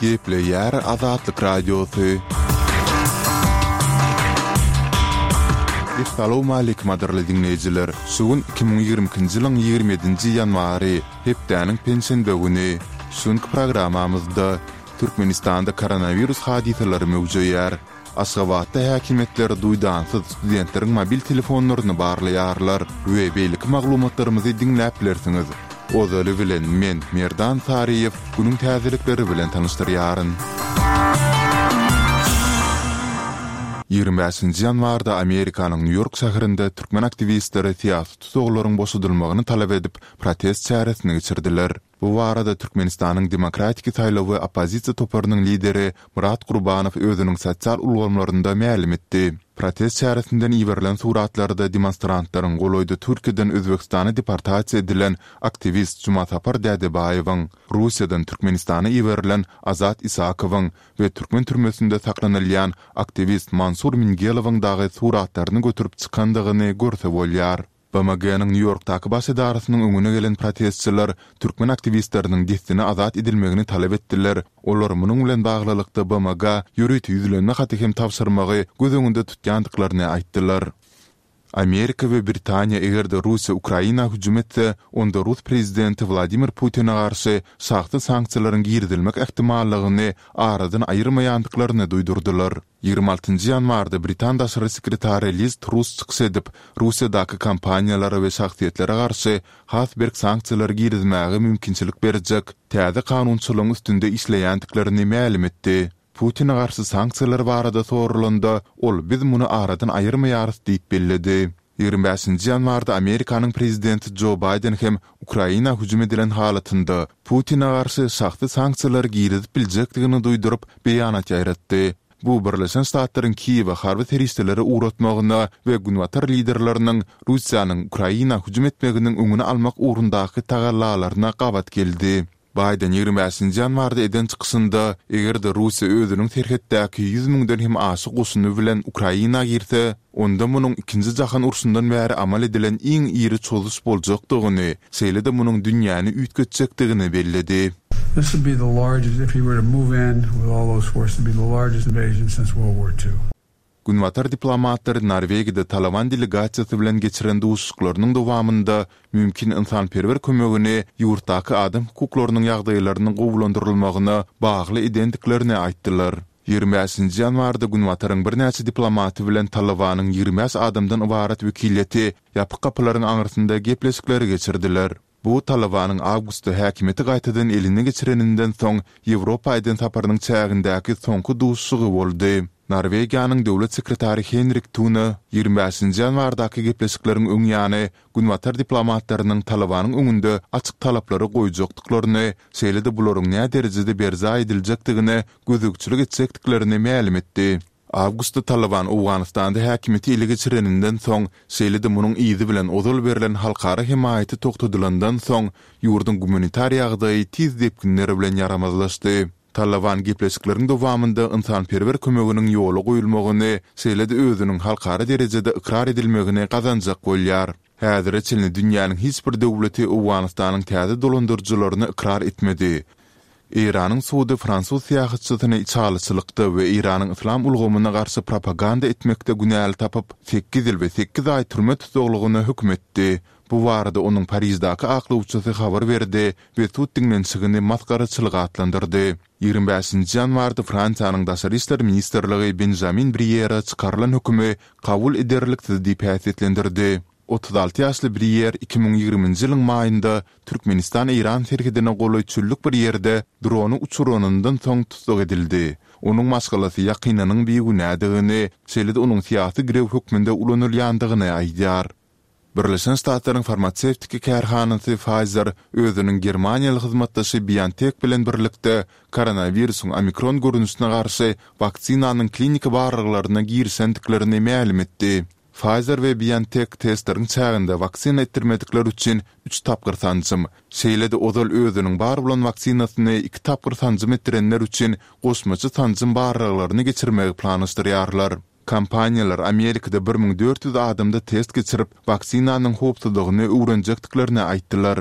Gepleýär Azatlyk Radiosy. Essalawmaleýkim gadyrly diňleýjiler! Şu gün 2022-nji ýylyň 27-nji ýanwary, hepdäniň penşenbe güni. Şu günki programmamyzda Türkmenistanda koronawirus hadysalary möwjeýär. Aşgabatda häkimiýetler duýdansyz studentleriň mobil telefonlaryny barlaýarlar we beýleki maglumatlarymyzy diňläp bilersiňiz. Ozaly bilen men, Merdan Saryýew, günüň täzelikleri bilen tanyşdyrýaryn. 25-nji ýanwarda Amerikanyň Nýu-Ýork şäherinde türkmen aktiwistleri syýasy tussaglaryň boşadylmagyny talap edip, protest çäresini geçirdiler. Bu barada Türkmenistanyň Demokratiki saýlawy oppozisiýa toparynyň lideri Myrat Gurbanow özüniň sosial ulgamlarynda mälim etdi. Protest çäresinden iberilen suratlarda demonstrantlaryň golaýda Türkiýeden Özbegistana deportasiýa edilen aktiwist Jumasapar Dädebaýewiň, Russiýadan Türkmenistana iberilen Azat Isakowyň we türkmen türmesinde saklanylýan aktiwist Mansur Mingelowyň dagy suratlaryny göterip çykandygyny görse bolýar. BMG-niň Nýu-Ýorkdaky baş edarasynyň öňüne gelen protestçiler türkmen aktiwistleriniň dessine azat edilmegini talap etdiler, olar munuň bilen baglylykda BMG-a ýörite ýüzlenme haty hem tabşyrmagy göz öňünde tutýandyklaryny aýtdylar. Amerika we Britaniýa eger-de Russiýa Ukraina hüjüm etse, onda rus prezidenti Wladimir Putine garşy şahsy sanksiýalaryň girizilmek ähtimallygyny aradan aýyrmaýandyklaryny duýdurdylar. 26 nji ýanwarda britan daşary sekretary Liz Truss çykyş edip, Russiýadaky kompaniýalara we şahsyýetlere garşy has berk sanksiýalary girizmäge mümkinçilik berjek täze kanunçylygyň üstünde işleýändiklerini mälim etdi. Putine garşy sanksiýalar barada soralanda, ol biz muny aradan aýyrmaýarys diýip belledi. 25-nji ýanwarda Amerikanyň prezidenti Jo Baýden hem Ukraina hüjüm edilen halatynda, Putine garşy şahsy sanksiýalary girizip biljekdigini duýduryp, beýanat ýaýratdy. Bu Birleşen Ştatlaryň Kiýewe harby serişdeleri ugratmagyna we günbatar liderleriniň Russiýanyň Ukraina hüjüm etmeginiň öňüni almak ugrundaky tagallalaryna gabat geldi. Baýden 25-nji ýanwarda eden çykyşynda, eger-de Russiýa özüniň serhetdäki 100 müňden hem aşa goşuny bilen Ukraina girse, onda munuň Ikinji jahan urşundan bäri amal edilen iň iri çozuş boljakdygyny, şeýle-de munuň dünýäni üýtgetjekdigini belledi. This would be the largest, if he were to move in with all those forces, it'd be the largest invasion since World War II. Günbatar diplomatlary Norwegiýada Talaban delegasiýasy bilen geçiren duşuşyklarynyň dowamynda mümkin ynsanperwer kömegini ýurtdaky adam hukuklarynyň ýagdaýlarynyň gowulandyrylmagyna bagly edendiklerini aýtdylar. 25-nji ýanwarda Günbataryň birnäçe diplomaty bilen Talabanyň 25 adamdan ybarat wekiliýeti ýapyk gapylaryň aňyrsynda gepleşikleri geçirdiler. Bu Talabanyň awgustda häkimiýeti gaýtadan eline geçireninden soň Ýewropa eden saparynyň çägindäki soňky duşuşygy boldy. Norwegiýanyň döwlet sekretary Henrik Tune 25-nji ýanwardaky gepleşikleriň öň ýany günbatar diplomatlarynyň Talabanyň öňünde açyk talaplary goýjakdyklaryny, şeýle-de bularyň näderejede berjaý ediljekdigine gözegçilik etjekdiklerini mälim etdi. Awgustda Talyban Owganystanda häkimiýeti ele geçireninden soň, şeýle-de munuň yzy bilen ozal berlen halkara hemaýaty togtadylandan soň, ýurduň gumanitar ýagdaýy tiz depginler bilen ýaramazlaşdy. Talyban gepleşikleriň dowamynda ynsanperwer kömeginiň ýola goýulmagyny, şeýle-de özüniň halkara derejede ykrar edilmegini gazanjak bolýar. Häzire çenli dünýäniň hiç bir döwleti Owganystanyň täze dolandyryjylaryny ykrar etmedi. Eýranyň sudy fransuz syýahatçysyny içalyçylykda we Eýranyň yslam ulgamyna garşy propaganda etmekde günäli tapyp, sekiz ýyl we sekiz aý türme tussaglygyna höküm etdi. Bu barada onuň Pariždaky aklawçysy habar berdi we sud diňlenişigini masgaraçylyk atlandyrdy. 25-nji ýanwarda Fransiýanyň Daşary işler ministrligi Benžamin Briýere çykarylan hökümi kabul ederliksiz diýip häsiýetlendirdi. 36 ýaşly Briýer 2020-nji ýylyň maýynda Türkmenistan-Eýran serhedine golaý çöllük bir ýerde drony uçuranyndan soň tussag edildi. Onuň maşgalasy ýakynynyň bigünädigini, şeýle-de onuň syýasy girew hökmünde ulanylýandygyny aýdýar. Birleşen Ştatlaryň farmasewtiki kärhanasy Pfizer özüniň germaniýaly hyzmatdaşy BioNTech bilen birlikde koronawirusyň omikron görnüşine garşy waksinanyň kliniki barlaglaryna girişendiklerini mälim etdi. Pfizer we BioNTech testleriň çäginde waksina etdirmedikler üçin üç tapgyr sanjym, şeýle-de ozal özüniň bar bolan waksinasyny iki tapgyr sanjym etdirenler üçin goşmaça sanjym barlaglaryny geçirmegi planlaşdyrýarlar. Kompaniýalar Amerikada 1400 adamda test geçirip, waksinanyň howpsuzlygyny öwrenjekdiklerini aýtdylar.